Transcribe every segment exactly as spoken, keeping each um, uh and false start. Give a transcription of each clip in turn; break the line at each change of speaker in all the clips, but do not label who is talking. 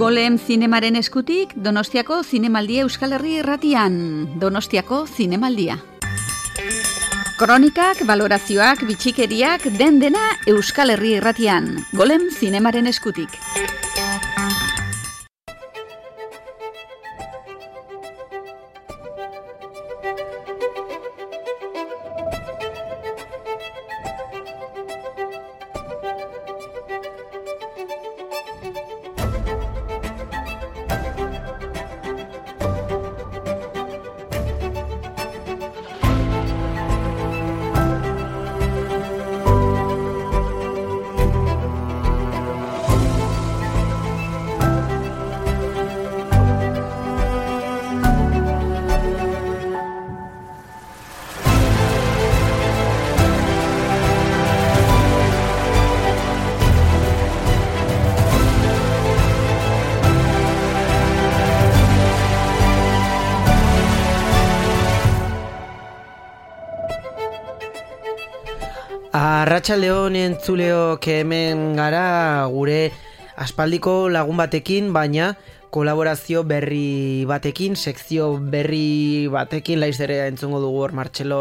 Golem zinemaren eskutik, Donostiako Zinemaldia Euskal Herri irratian. Donostiako Zinemaldia. Kronikak, balorazioak, bitxikeriak, den dena Euskal Herri irratian. Golem zinemaren eskutik.
Arratsaldeon entzuleok, hemen gara gure aspaldiko lagun batekin, baina kolaborazio berri batekin, sekzio berri batekin, laiz ere entzungo dugu hor Martxelo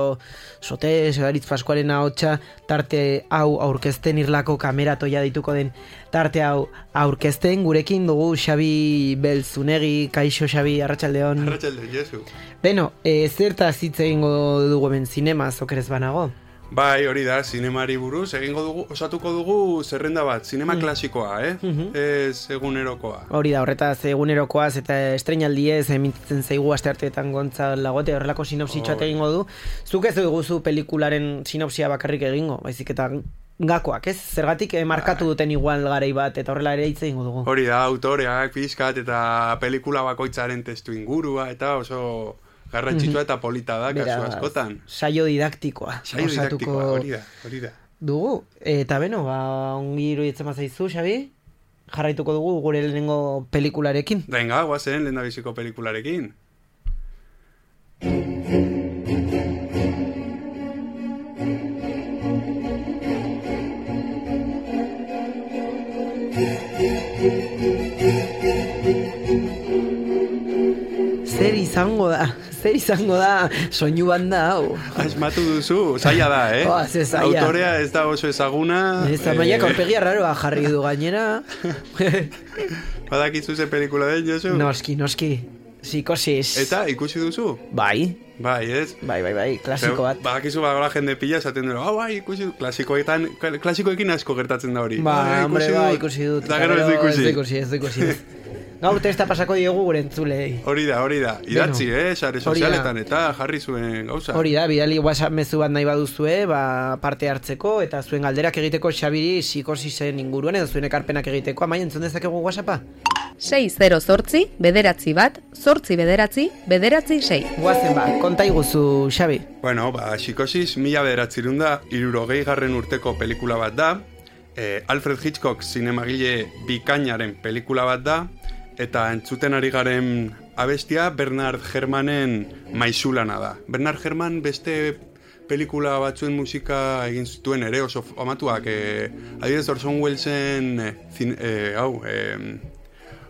Sotes, Garitz Paskualen ahotsa, tarte hau aurkezten, Irlako kameratoia dituko den tarte hau aurkezten, gurekin dugu Xabi Belzunegi. Kaixo Xabi, arratsaldeon.
Arratsaldeon, Jesu.
Beno, e, zertaz hitz egingo dugu hemen zinemaz, okerez banago?
Bai, hori da, zinemari buruz, egingo dugu, osatuko dugu zerrenda bat, zinema mm. klasikoa, eh? Mm-hmm. Ez egunerokoa.
Hori da, horretaz egunerokoaz eta estreinaldiez emititzen zaigu astearteetan Gontzal Lagote, horrelako sinopsitxoat oh. egingo du. Zuk ez duguzu pelikularen sinopsia bakarrik egingo, baizik eta gakoak, ez? Zergatik eh, markatu duten igual garai bat, eta horrela ere hitz egingo dugu.
Hori da, autoreak, pixkat, eta pelikula bakoitzaren testu ingurua, eta oso garrantzitsua eta polita da, kasu askotan.
Saio didaktikoa.
Saio didaktikoa, hori da, hori da.
Dugu, eta beno, ba, ongi iruditzen bazaizu, Xabi, jarraituko dugu gure lehenengo pelikularekin.
Venga, guazen lehen da biziko pelikularekin.
Zer izango da, zer izango da soinu banda hau.
Asmatu duzu, zaila da, eh?
Oh, ze zaila.
Autorea ez da oso ezaguna.
Ez da, maiak aurpegia raroa jarri du gainera.
Badakizu ze pelikula den, Josu?
Noski, noski. Psikosis.
Eta, ikusi duzu?
Bai.
Bai, ez?
Bai, bai, bai, klasiko bat.
Badakizu badagoela jende pila esaten dut, oh, bai, ikusi dut. Klasikoetan, klasikoekin asko gertatzen da hori.
Ba, hombre, bai, ikusi dut.
Eta gero ez du ikusi.
Ez du ikusi, ez du ikusi. Gaur testa pasako diegu gure entzulei.
Hori da, hori da. Idatzi, bueno, eh, sare sozialetan eta jarri zuen gauza.
Hori da, bidali WhatsApp mezu bat nahi baduzue, ba, parte hartzeko, eta zuen galderak egiteko Xabiri psikosisen inguruan, edo zuen ekarpenak egiteko, amai, entzun dezakegu WhatsAppa?
sei zero zortzi, bederatzi bat, zortzi bederatzi, bederatzi sei.
Guazen ba, konta iguzu, Xabi.
Bueno, ba, psikosis mila bederatzirun da, irurogei garren urteko pelikula bat da, eh, Alfred Hitchcock zinemagile bikainaren pelikula bat da, eta entzuten ari garen abestia Bernard Herrmannen Maizulana da. Bernard Herrmann beste pelikula batzuen musika egin zituen ere oso amatuak. Eh, adibidez Orson Wellesen eh, zin, eh, hau, eh,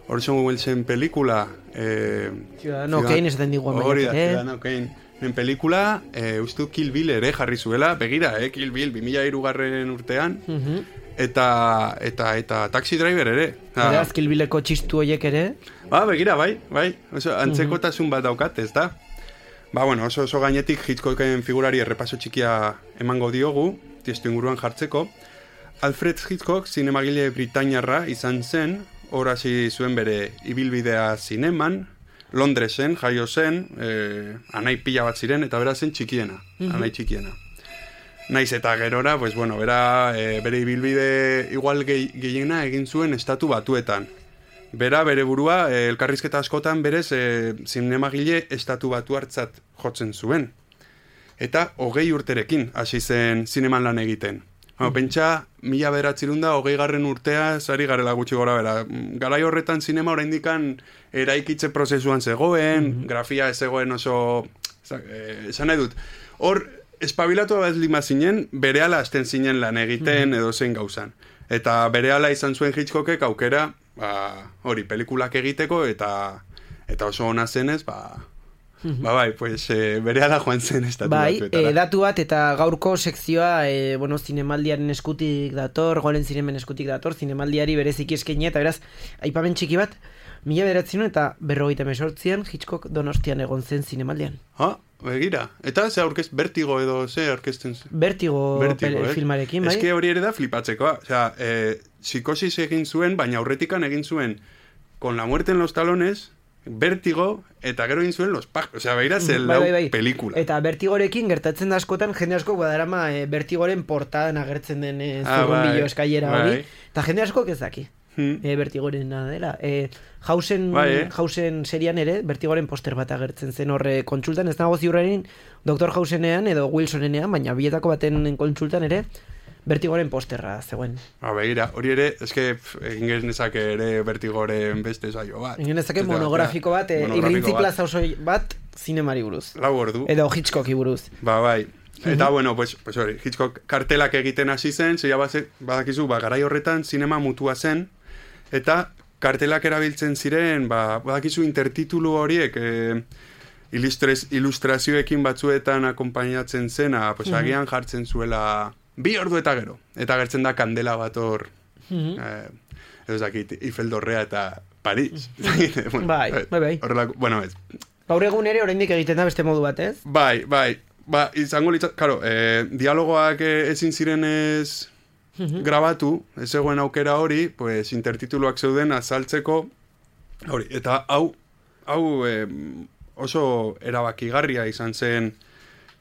Orson Wellesen pelikula eh,
Ciudadano Kane esaten digu amaiak,
hori da, Ciudadano Kane en pelikula, eh, ustu Kill Bill ere jarri zuela, begira, eh, Kill Bill bi mila hiru garren urtean, uh-huh. Eta, eta, eta Taxi Driver ere.
Beraz, Kill Billeko txistu horiek ere?
Ba, begira, bai, bai. Oso, antzekotasun bat daukat, ez da? Ba, bueno, oso, oso gainetik Hitchcocken figurari errepaso txikia emango diogu, tiestu inguruan jartzeko. Alfred Hitchcock zinemagile britainiarra izan zen, hor hasi zuen bere ibilbidea zineman, Londresen, jaio zen, eh, anai pila bat ziren, eta bera zen txikiena, mm-hmm. anai txikiena. Naiz eta gerora, pues bueno, bera, e, bere ibilbide igual gehi, gehiena egin zuen estatu batuetan. Bera, bere burua, e, elkarrizketa askotan berez, e, zinemagile estatu batu hartzat jotzen zuen. Eta hogei urterekin hasi zen zineman lan egiten. Bueno, pentsa, mila bederatzirun da, hogei garren urtea, zari garela gutxi gora bera. Garai horretan zinema oraindikan eraikitze prozesuan zegoen, mm-hmm. grafia ez zegoen oso, esan nahi dut, hor, espabilatu bat lima zinen, berehala hasten zinen lan egiten edo zein gauzan. Eta berehala izan zuen Hitchcockek aukera ba, hori, pelikulak egiteko, eta eta oso ona zenez, ba, ba bai, pues, e, berehala joan zen estatu
bai,
batuetara.
E, datu bat, eta gaurko sekzioa, e, bueno, zinemaldiaren eskutik dator, golen zinemen eskutik dator, zinemaldiari bereziki eskainia, eta beraz, aipamen txiki bat, mila bederatzen eta berrogeita mesortzian, Hitchcock Donostian egon zen zinemaldian.
Ha, begira. Eta ze aurkest, Vertigo edo ze aurkezten zen?
Vertigo, Vertigo eh? filmarekin, bai?
Eske hori ere da flipatzekoa. Osea, eh, psikosis egin zuen, baina aurretikan egin zuen Con la muerte en los talones, Vertigo, eta gero egin zuen Los pájaros. Osea, beira zen lau
bai, bai.
pelikula.
Eta Vertigorekin gertatzen da askotan, jende asko badarama e, Vertigoren portadan agertzen den e,
ah,
zurrunbilo
bai,
eskailera
bai.
hori. Eta jende asko ez daki.
Hmm.
E, Vertigoren dela. E, Hausen,
bai, eh?
Hausen serian ere, Vertigoren poster bat agertzen zen horre kontsultan, ez nago ziurrenin doktor Hausenean edo Wilsonenean, baina bietako baten kontsultan ere, Vertigoren posterra zegoen.
Ba, begira, hori ere, eske egin genezake ere Vertigoren beste saio bat.
Egin genezake monografiko bat, e, irrintzi plaza oso bat, zinemari buruz.
Lau ordu.
Edo Hitchcocki buruz.
Ba, bai. Eta, bueno, pues, pues hori, Hitchcock kartelak egiten hasi zen, zeia badakizu, ba, garai horretan zinema mutua zen, eta kartelak erabiltzen ziren, ba, badakizu intertitulu horiek, e, ilustres, ilustrazioekin batzuetan akompainatzen zena, pues,
Mhm.
agian jartzen zuela bi ordu eta gero. Eta gertzen da kandela bat hor,
Mhm.
eh, ez dakit, Ifeldorrea eta Paris. bueno,
Bai, bai, bai.
Horrelako, bueno, ez.
Gaur egun ere oraindik egiten da beste modu bat, ez?
Bai, bai. Ba, izango litzat, karo, eh, dialogoak eh, ezin ziren ez grabatu, ez zegoen aukera hori, pues intertituluak zeuden azaltzeko, hori, eta hau, hau eh, oso erabakigarria izan zen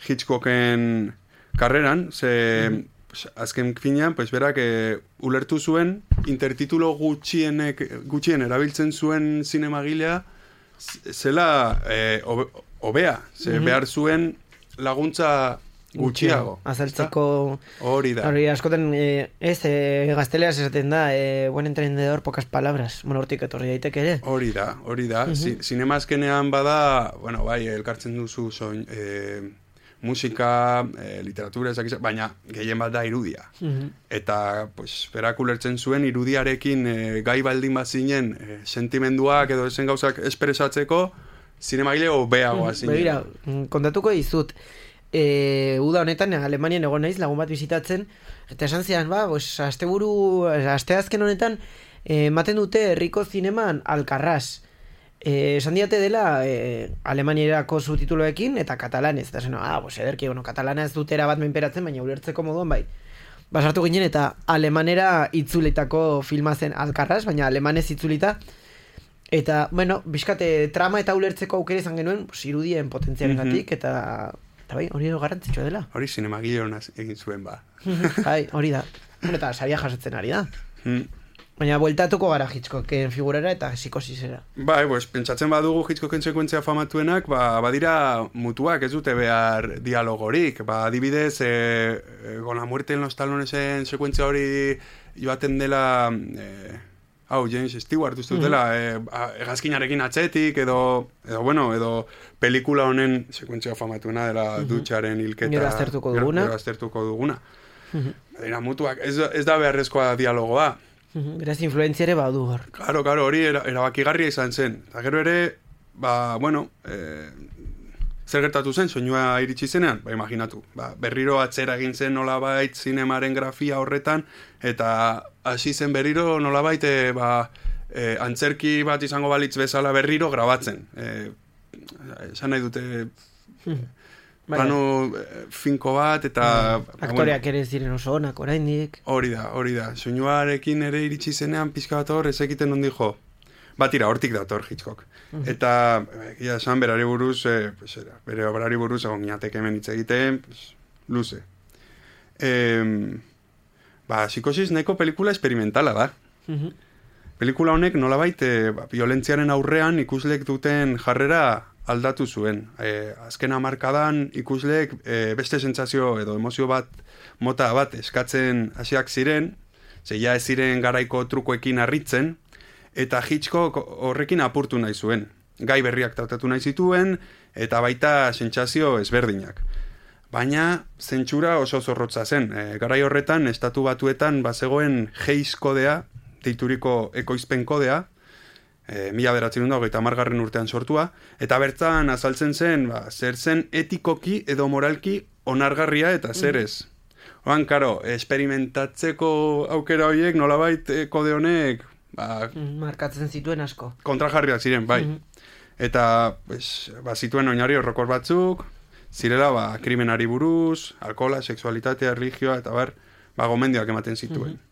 Hitchcocken karreran, ze pues, azken finean, pues berak eh, ulertu zuen, intertitulo gutxienek, gutxien erabiltzen zuen zinemagilea, zela eh, obe, obea, ze
Mhm.
behar zuen laguntza gutxiago.
Azaltzeko...
Hori da.
Hori askotan, eh, ez, eh, gazteleaz esaten da, eh, buen entrenador, pocas palabras. Bueno, hortik etorri daiteke ere.
Hori da, hori da.
Mhm.
Si, Zinema azkenean bada, bueno, bai, elkartzen duzu soin, eh, musika, eh, literatura, ezak, baina gehien bat da irudia.
Mhm.
Eta, pues, berak ulertzen zuen irudiarekin eh, gai baldin bazinen eh, sentimenduak edo esen gauzak espresatzeko, zinemagile hobeagoa zinen.
Begira, kontatuko dizut, e, uda honetan Alemanian egon naiz lagun bat bizitatzen, eta esan zidan, ba, pues, asteburu, asteazken honetan, eh, ematen dute herriko zineman Alcarràs. Eh, esan diate dela eh, Alemaniarako subtituloekin eta katalanez. Eta zen, ah, pues, ederki, bueno, katalana ez dutera bat menperatzen, baina ulertzeko moduan, bai. Basartu ginen eta alemanera itzulitako filma zen Alcarràs, baina alemanez itzulita. Eta, bueno, bizkate trama eta ulertzeko aukera izan genuen, pues, irudien potentziarengatik, eta, eta bai, hori garrantzitsua dela.
Hori zinemagile hona egin zuen, ba.
Bai, hori da. Bueno, eta saria jasotzen ari da.
Mm.
Baina bueltatuko gara Hitchcocken figurara eta psikosisera.
Bai, pues, pentsatzen badugu Hitchcocken sekuentzia famatuenak, ba, badira mutuak ez dute behar dialogorik. Ba, adibidez, e, e, Con la muerte en los talonesen sekuentzia hori joaten dela... E, hau, James Stewart uste dutela, mm-hmm. e, hegazkinarekin atzetik, edo, edo, bueno, edo pelikula honen sekuentzia famatuena dela mm-hmm. dutxaren hilketa.
Gero aztertuko duguna.
Gero aztertuko duguna. Mm-hmm. Dira mutuak, ez, ez da beharrezkoa dialogoa.
Mm-hmm. Beraz, influenziare badu hor.
Claro, claro, hori era, erabakigarria izan zen. Eta gero ere, ba, bueno, e, zer gertatu zen, soinua iritsi zenean? Ba, imaginatu. Ba, berriro atzera egin zen nolabait zinemaren grafia horretan, eta hasi zen berriro nolabait, e, ba, e, antzerki bat izango balitz bezala berriro grabatzen. E, esan nahi dute... Mm-hmm. Plano eh, finko bat, eta...
Mm. Aktoreak bueno, ere ziren oso onak oraindik.
Hori da, hori da. Soinuarekin ere iritsi zenean pizka bat hor, ez egiten nondi jo. Batira, hortik dator Hitchcock. Mm-hmm. Eta, egia esan, berari buruz, eh, pues, era, bere berari buruz, egon minatek hemen hitz egiten, pues, luze. Eh, ba, psikosis neko pelikula experimentala da. Mm-hmm. Pelikula honek nolabait, eh, ba, violentziaren aurrean ikuslek duten jarrera aldatu zuen. E, azken hamarkadan ikusleek e, beste sentsazio edo emozio bat, mota bat eskatzen hasiak ziren, ze ja ez ziren garaiko trukoekin harritzen, eta Hitchcock horrekin apurtu nahi zuen. Gai berriak tratatu nahi zituen, eta baita sentsazio ezberdinak. Baina zentsura oso zorrotza zen. E, garai horretan, estatu batuetan bazegoen Hays kodea deituriko ekoizpen kodea, e, mila beratzen da, hogeita hamargarren urtean sortua, eta bertan azaltzen zen, ba, zer zen etikoki edo moralki onargarria eta zer ez. Oan, karo, esperimentatzeko aukera horiek nolabait e, kode honek ba,
markatzen zituen asko.
Kontrajarriak ziren, bai. Mm-hmm. Eta pues, ba, zituen oinarri horrokor batzuk, zirela ba, krimenari buruz, alkohola, sexualitatea, religioa, eta bar, ba, gomendioak ematen zituen. Mm-hmm.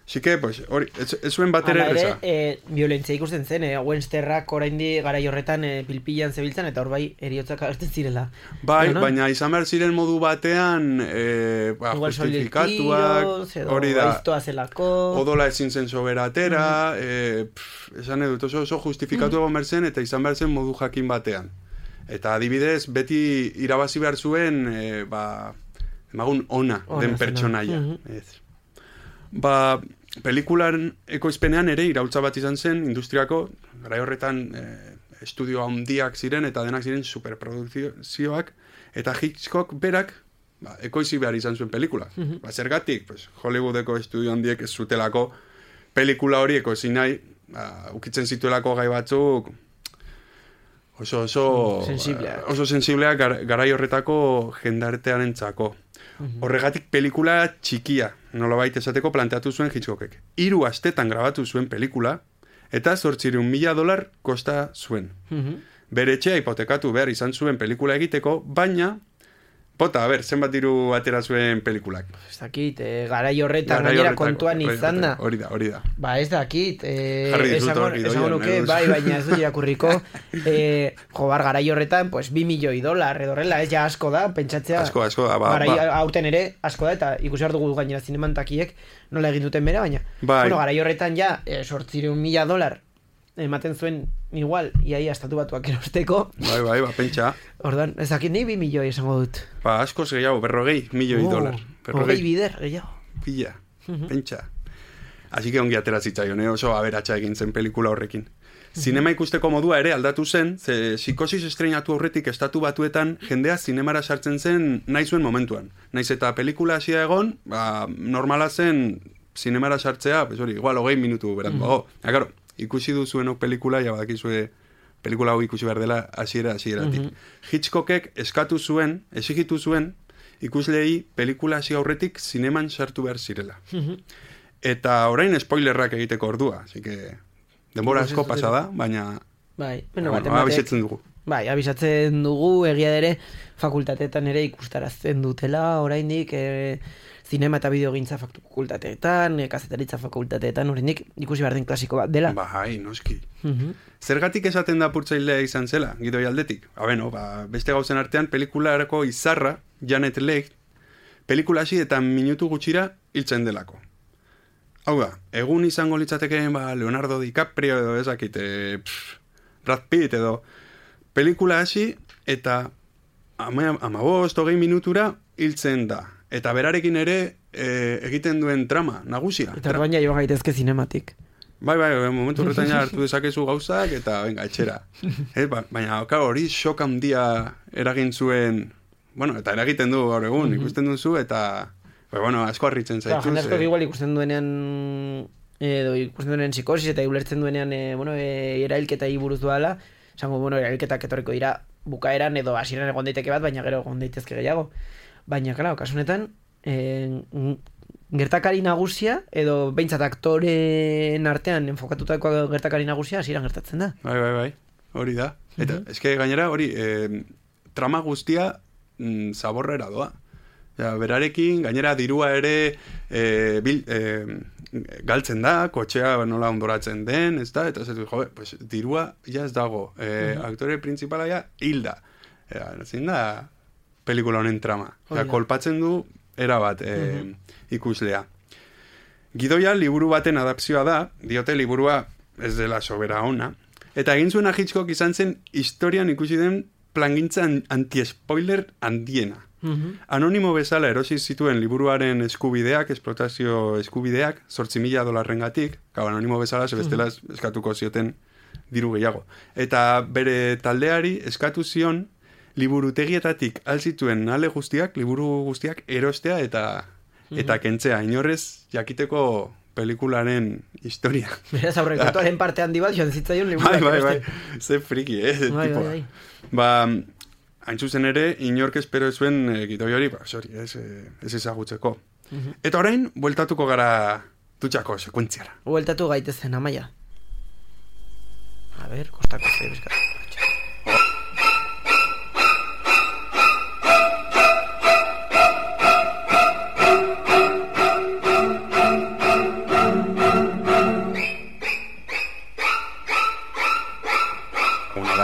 Sike, pues, hori, ez, ez zuen bat ere erreza.
Hala ere, e, violentzia ikusten zen, e, Wensterrak oraindi garai horretan e, pilpilan zebiltzan, eta hor bai, eriotzak agertzen zirela.
Bai, no, no? Baina izan behar ziren modu batean, e, ba, justifikatuak, hori da, odola ezin zen soberatera, mm-hmm. e, pff, esan edut, oso, oso justifikatu mm-hmm. egon berzen, eta izan behar zen modu jakin batean. Eta adibidez, beti irabazi behar zuen, e, ba, emagun ona, ona den pertsonaia. Mm-hmm. Ez. Ba, pelikulan ekoizpenean ere iraultza bat izan zen industriako, garai horretan e, estudio handiak ziren eta denak ziren superprodukzioak, eta Hitchcock berak ba, ekoizi behar izan zuen pelikula. Mm-hmm. Ba, zergatik, pues, Hollywoodeko estudio handiek ez zutelako pelikula hori ekoizi nahi, ba, ukitzen zituelako gai batzuk oso oso
sensibleak,
oso sensibleak gar, garai horretako jendartearen txako. Mm-hmm. Horregatik pelikula txikia, nolabait esateko planteatu zuen Hitchcockek. Hiru astetan grabatu zuen pelikula, eta zortziehun mila dolar kosta zuen. Mm-hmm. Bere etxea hipotekatu behar izan zuen pelikula egiteko, baina, bota, a ber, zenbat diru atera zuen pelikulak.
Ez dakit, e, garai horretan gainera kontuan izan da.
Hori da, hori da.
Ba, ez dakit, e,
Jarri
esango, esango nuke, bai, baina ez dut irakurriko, e, jobar, garai horretan, pues, bi milioi dolar, edorrela, ez ja asko da, pentsatzea.
Asko, asko da, ba,
garai
ba.
Aurten ere, asko da, eta ikusi behar dugu gainera zinemantakiek nola egin duten bera, baina,
bai.
Bueno, garai horretan ja, e, sortzireun mila dolar, ematen zuen igual, iaia estatu batuak erosteko.
Bai, bai, ba, pentsa.
Ordan, ez dakit ni bi milioi esango dut.
Ba, askoz gehiago, berrogei milioi
oh,
dolar.
Berrogei bider, gehiago.
Pila, uh-huh. Pentsa. Así que ongi atera zitzaion, eh? Oso aberatsa egin zen pelikula horrekin. Uh-huh. Zinema ikusteko modua ere aldatu zen, ze psikosis estreinatu aurretik estatu batuetan jendea zinemara sartzen zen nahi zuen momentuan. Naiz eta pelikula hasia egon, ba, normala zen zinemara sartzea, pues hori, igual hogei minutu beranduago. Uh-huh. Ja, claro, ikusi duzuenok pelikula, ja badakizue pelikula hau ikusi behar dela hasiera hasieratik. Mm-hmm. Hitchcockek eskatu zuen, exigitu zuen, ikuslei pelikula hasi aurretik zineman sartu behar zirela. Mm-hmm. Eta orain spoilerrak egiteko ordua, así que denbora asko pasa da, baina
bai, bueno,
bueno, abisatzen dugu.
Bai, abisatzen dugu, egia ere fakultateetan ere ikustarazten dutela, oraindik e, zinema eta bideogintza fakultateetan, e, kazetaritza fakultateetan, oraindik ikusi behar den klasiko bat dela.
Bai, noski.
Uh-huh.
Zergatik esaten da purtzailea izan zela, gidoi aldetik? Ba, beno, ba, beste gauzen artean pelikularako izarra, Janet Leigh, pelikula hasi eta minutu gutxira hiltzen delako. Hau da, egun izango litzatekeen ba, Leonardo DiCaprio edo ezakit, e, pff, Brad Pitt edo pelikula hasi eta amabost, hogei minutura hiltzen da. Eta berarekin ere e, egiten duen trama, nagusia.
Eta orduan ja joan gaitezke zinematik.
Bai, bai, momentu horretan ja hartu dezakezu gauzak eta venga, etxera. E, ba, baina hori šok handia eragin zuen, bueno, eta eragiten du gaur egun, mm-hmm. ikusten duzu eta ba, bueno, asko harritzen zaituz.
Ba, jende asko igual ikusten duenean edo ikusten duenean psikosis eta ulertzen duenean e, bueno, e, erailketa buruz doala, esango, bueno, erailketak etorriko dira bukaeran edo hasieran egon daiteke bat, baina gero egon daitezke gehiago. Baina, claro, kasunetan, eh, gertakari nagusia, edo behintzat aktoren artean enfokatutako gertakari nagusia hasieran gertatzen da.
Bai, bai, bai, hori da. Eta, uh-huh. eske gainera, hori, eh, trama guztia mm, zaborrera doa. Ja, berarekin, gainera dirua ere eh, bil, eh, galtzen da, kotxea nola ondoratzen den, ez da, eta zetu, jo, pues, dirua ja ez dago. Eh, uh-huh. Aktore principala ja hilda. Ja, ezin da pelikula honen trama. Osea, kolpatzen du erabat e, uh-huh. ikuslea. Gidoia liburu baten adapzioa da, diote liburua ez dela sobera ona, eta egin zuena Hitchcock izan zen historian ikusi den plangintza anti-spoiler handiena. Uh-huh. Anonimo bezala erosi zituen liburuaren eskubideak, esplotazio eskubideak, zortzi mila dolarrengatik, gau anonimo bezala, zebestela uh-huh. eskatuko zioten diru gehiago. Eta bere taldeari eskatu zion liburutegietatik alzituen ale guztiak, liburu guztiak erostea eta mm-hmm. eta kentzea, inorrez jakiteko pelikularen historia.
Beraz, aurrekontuaren parte handi bat joan zitzaion liburu.
Bai, bai, bai, ze friki, eh,
bai,
tipoa.
bai, bai.
Ba, hain zuzen ere, inork espero zuen e, gidoi hori, ba, sorry, ez, ez ezagutzeko. Uh-huh. Eta orain, bueltatuko gara dutxako sekuentziara.
Bueltatu gaitezen, Amaia. A ver, kostako zer bizkatu.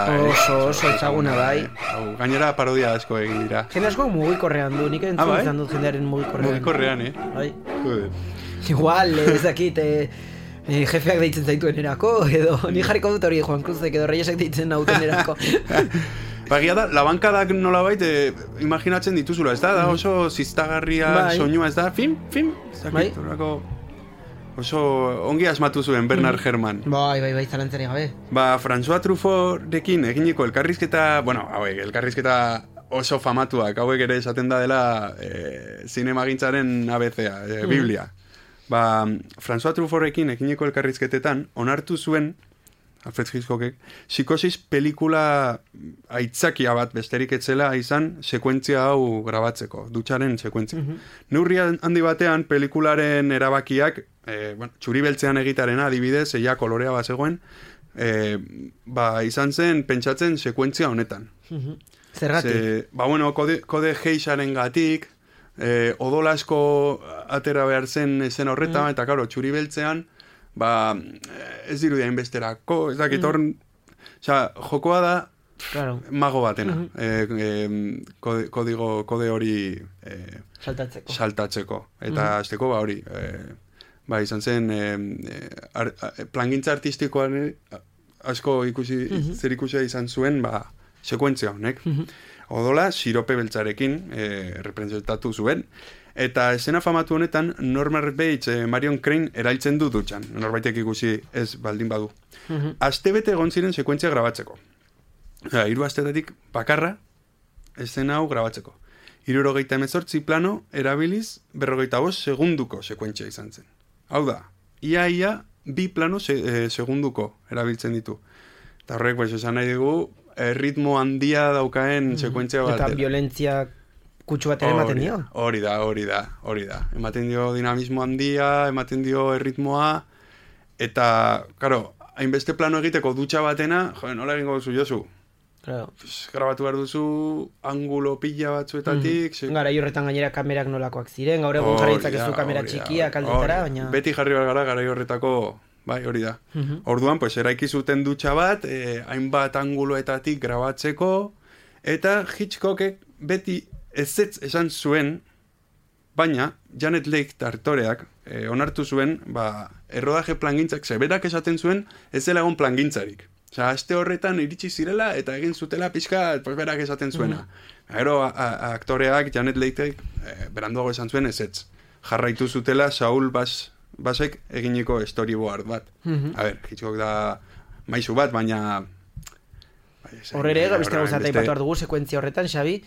Oso, oso ezaguna bai.
Hau, gainera parodia asko egin dira.
Jende asko mugikorrean du, nik entzun
ah, bai?
izan dut jendearen mugikorrean.
Mugikorrean, eh?
Bai.
Joder.
Igual, ez dakit, eh, eh, jefeak deitzen zaituen erako, edo ni jarriko dut hori Juan Cruzek edo Reyesek deitzen nauten erako.
Bagia da, labankadak nolabait eh, imaginatzen dituzula, ez da? Da oso ziztagarria
bai.
soinua, ez da? Film, film, ez dakit, bai. Oso ongi asmatu zuen Bernard mm. Herrmann.
Bai, bai, bai, zalantzari gabe.
Ba, François Truffautrekin eginiko elkarrizketa, bueno, hauek, elkarrizketa oso famatuak, hauek ere esaten da dela e, zinemagintzaren A B C-a, e, mm. Biblia. Ba, François Truffautrekin eginiko elkarrizketetan, onartu zuen, Alfred Hitchcockek, psikosis pelikula aitzakia bat besterik etzela izan sekuentzia hau grabatzeko, dutxaren sekuentzia. Mm-hmm. Neurria handi batean pelikularen erabakiak, e, bueno, txuri beltzean egitarena adibidez, eia kolorea bat zegoen, e, ba, izan zen pentsatzen sekuentzia honetan.
Mm-hmm. Zergatik?
Ze, ba, bueno, kode, kode geixaren gatik, e, odolasko atera behar zen zen horretan, mm. eta karo, txuri beltzean, ba, ez dirudia inbesterako, ez dakit hor, mm. oza, jokoa da, claro. Mago batena, mm-hmm. e, e, kode, kodigo, kode hori e,
saltatzeko.
saltatzeko, eta
mm-hmm.
azteko ba hori, e, ba, izan zen, e, ar, plangintza artistikoan asko ikusi, mm-hmm. zer ikusia izan zuen, ba, sekuentzia honek. Mm-hmm. Odola, sirope beltzarekin e, representatu zuen, eta esena famatu honetan Norman Bates, eh, Marion Crane erailtzen du dutxan. Norbaitek ikusi ez baldin badu. Mm-hmm. Astebete egon ziren sekuentzia grabatzeko. Osea, hiru astetatik bakarra esena hau grabatzeko. Hirurogeita hemezortzi plano erabiliz berrogeita bost segunduko sekuentzia izan zen. Hau da, ia ia bi plano se, eh, segunduko erabiltzen ditu. Eta horrek, pues, esan nahi dugu, ritmo handia daukaen mm-hmm. sekuentzia bat.
Eta violentzia kutsu bat ere ematen dio.
Hori da, hori da, hori da. Ematen dio dinamismo handia, ematen dio erritmoa, eta, karo, hainbeste plano egiteko dutxa batena, jo, nola egingo duzu Josu?
Claro.
Pues, grabatu behar duzu angulo pila batzuetatik. Mm.
Se... Gara, horretan gainera kamerak nolakoak ziren, gaur egun jarritzak ez du kamera txikia kaldetara, baina...
Beti jarri behar gara, gara horretako, bai, hori da. Mm-hmm. Orduan, pues, eraiki zuten dutxa bat, eh, hainbat anguloetatik grabatzeko, eta Hitchcockek beti ez ez esan zuen, baina Janet Leigh tartoreak eh, onartu zuen, ba, errodaje plangintzak, zeberak esaten zuen, ez dela egon plangintzarik. Osea, aste horretan iritsi zirela eta egin zutela pixka, pues berak esaten zuena. Mm-hmm. Gero, aktoreak, Janet Leigh, eh, beranduago esan zuen ez ez. Jarraitu zutela Saul Bas, Basek eginiko storyboard bat. Mm-hmm. A ber, Hitchcock da maizu bat, baina...
Horrere, beste gauzat aipatu dugu sekuentzia horretan, Xabi,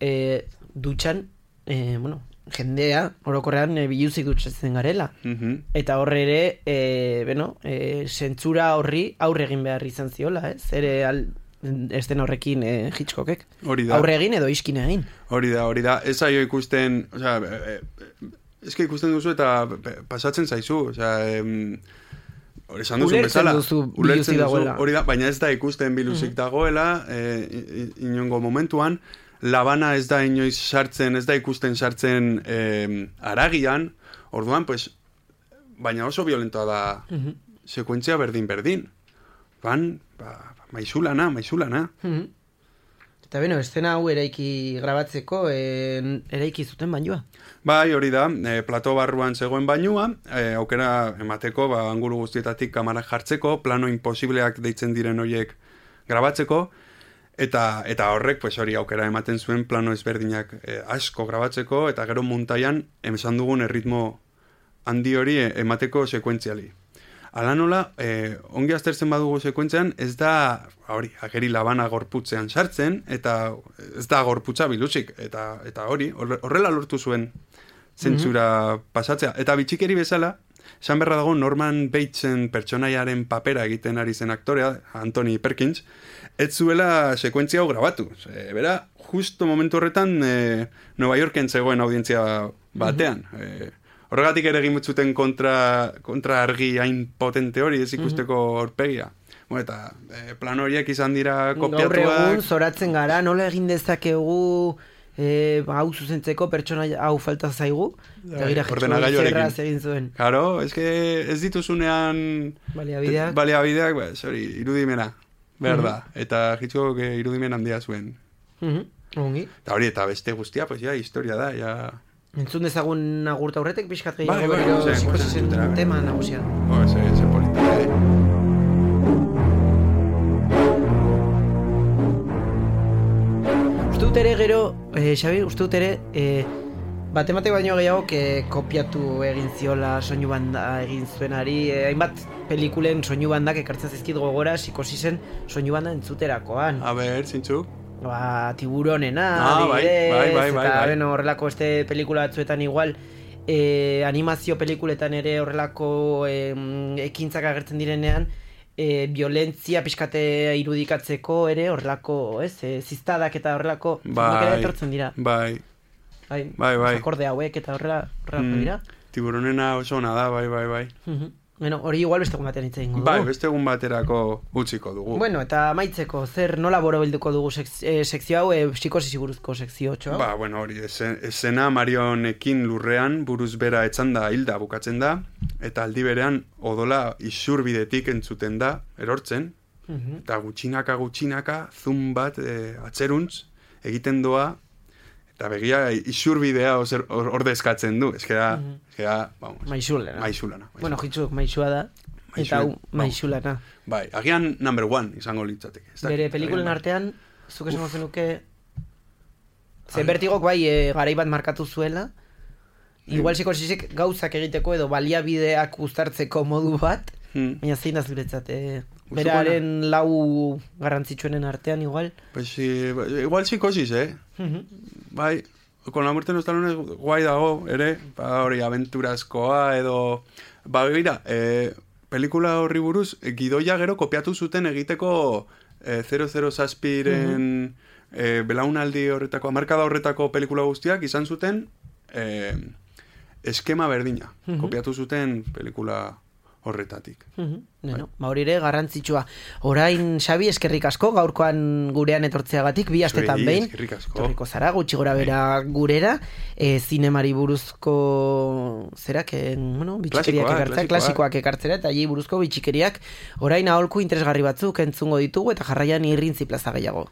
E, dutxan, e, bueno, jendea, orokorrean e, biluzik dutxatzen garela. Mm-hmm. Eta horre ere, e, bueno, e, sentsura horri aurre egin behar izan ziola, ez? Ere al, esten horrekin e, Hitchcockek. Aurre egin edo iskin egin.
Hori da, hori da. Ez aio ikusten, osea, e, e, eske ikusten duzu eta pasatzen zaizu, osea, em, esan duzun bezala,
ulertzen duzu,
hori da, baina ez da ikusten biluzik mm-hmm. dagoela, e, inongo momentuan, labana ez da inoiz sartzen, ez da ikusten sartzen eh, aragian, orduan, pues, baina oso violentoa da mm-hmm. sekuentzia berdin-berdin. Ban, ba, maizulana, maizulana.
Mm-hmm. Eta beno, estena hau eraiki grabatzeko, eh, eraiki zuten bainua.
Bai, hori da, eh, plato barruan zegoen bainua, eh, aukera emateko, ba, angulu guztietatik kamarak jartzeko, plano imposibleak deitzen diren horiek grabatzeko, Eta, eta horrek, pues hori aukera ematen zuen plano ezberdinak eh, asko grabatzeko, eta gero muntaian esan dugun erritmo handi hori emateko sekuentziali. Ala nola, eh, ongi aztertzen badugu sekuentzean, ez da, hori, ageri labana gorputzean sartzen, eta ez da gorputza biluzik, eta, eta hori, horrela lortu zuen zentzura mm-hmm. pasatzea. Eta bitxikeri bezala, esan berra dago Norman Batesen pertsonaiaren papera egiten ari zen aktorea, Anthony Perkins, ez zuela sekuentzia hau grabatu. E, bera, justo momentu horretan e, Nueva Yorken zegoen audientzia batean. Mm-hmm. e, horregatik ere egin zuten kontra, kontra argi hain potente hori, ez ikusteko horpegia. Bueno, eta e, plan horiek izan dira kopiatuak.
Gaur egun, zoratzen gara, nola egin dezakegu e, hau zuzentzeko pertsona hau falta zaigu? Eta
ordenagailuarekin
egin zuen.
Claro, es que ez dituzunean
baliabideak,
baliabideak ba, sorry, irudimena, behar da. Uh-huh. Eta jitzuko irudimen handia zuen.
Uh-huh. Ongi.
Eta hori, eta beste guztia, pues ya, historia da, ya...
Entzun dezagun agurta horretek, pixkat
gehiago
bai,
berriro
bai, psikosisen tema nagusian.
Oh, ese, ese polita, eh.
Uste dut ere gero, eh, Xabi, uste dut ere, eh, batemate baino gehiago que kopiatu egin ziola soinu banda egin zuenari, eh, hainbat pelikulen soinu bandak ekartzen zizkit gogora psikosisen soinu banda entzuterakoan.
A ber, zintzu?
Ba, tiburonena,
ah, bai, bai, bai, bai,
eta
bai.
Beno, horrelako este pelikula batzuetan igual, eh, animazio pelikuletan ere horrelako eh, ekintzak agertzen direnean, E, violentzia pixkate irudikatzeko ere horrelako, ez, e, ziztadak eta horrelako
bai,
ere etortzen dira.
Bai,
bai,
bai, bai.
Akorde hauek eta horrela, horrelako
mm,
dira.
Tiburonena oso ona da, bai, bai, bai.
Uh-huh. Bueno, hori igual beste egun batean hitz egingo dugu.
Bai, beste egun baterako utziko dugu.
Bueno, eta amaitzeko, zer nola borobilduko dugu sek, e, sekzio hau, e, psikosis buruzko sekzio txo?
Ba, bueno, hori, esena Marionekin lurrean buruz bera etzanda hilda bukatzen da, eta aldi berean odola isurbidetik entzuten da, erortzen, uh-huh. eta gutxinaka gutxinaka zun bat e, atzeruntz egiten doa, eta begia isurbidea ordezkatzen du, eskera, uh-huh. eskera, vamos.
Maixulana.
Maixulana.
Bueno, jitzuk maixua da, Maixula, eta hau maixulana.
Bai, agian number one izango litzateke.
Bere pelikulen artean, zuk esango zenuke, ze bertigok bai e, garai bat markatu zuela, igual psikosisek gauzak egiteko edo baliabideak uztartzeko modu bat, hmm. baina zein da zuretzat, e, beraren lau garrantzitsuenen artean igual?
Pues, igual psikosis, eh? Uh-huh. Bai, con la muerte no está lunes guai dago, ere, ba hori aventurazkoa edo, ba gira, eh, pelikula horri buruz, eh, gidoia gero kopiatu zuten egiteko eh, zero zero zazpiren uh-huh. eh, belaunaldi horretako, amarkada horretako pelikula guztiak izan zuten eh, eskema berdina, uh-huh. kopiatu zuten pelikula horretatik.
Uh-huh. Bueno, ba hori ere garrantzitsua. Orain, Xabi, eskerrik asko, gaurkoan gurean etortzeagatik, bi astetan behin.
Eskerrik asko.
Etorriko zara, gutxi gora bera gurera, e, zinemari buruzko zerak, e, bueno, bitxikeriak ekartzea, klasikoak ekartzera, eta hi buruzko bitxikeriak orain aholku interesgarri batzuk entzungo ditugu, eta jarraian irrintzi plaza gehiago.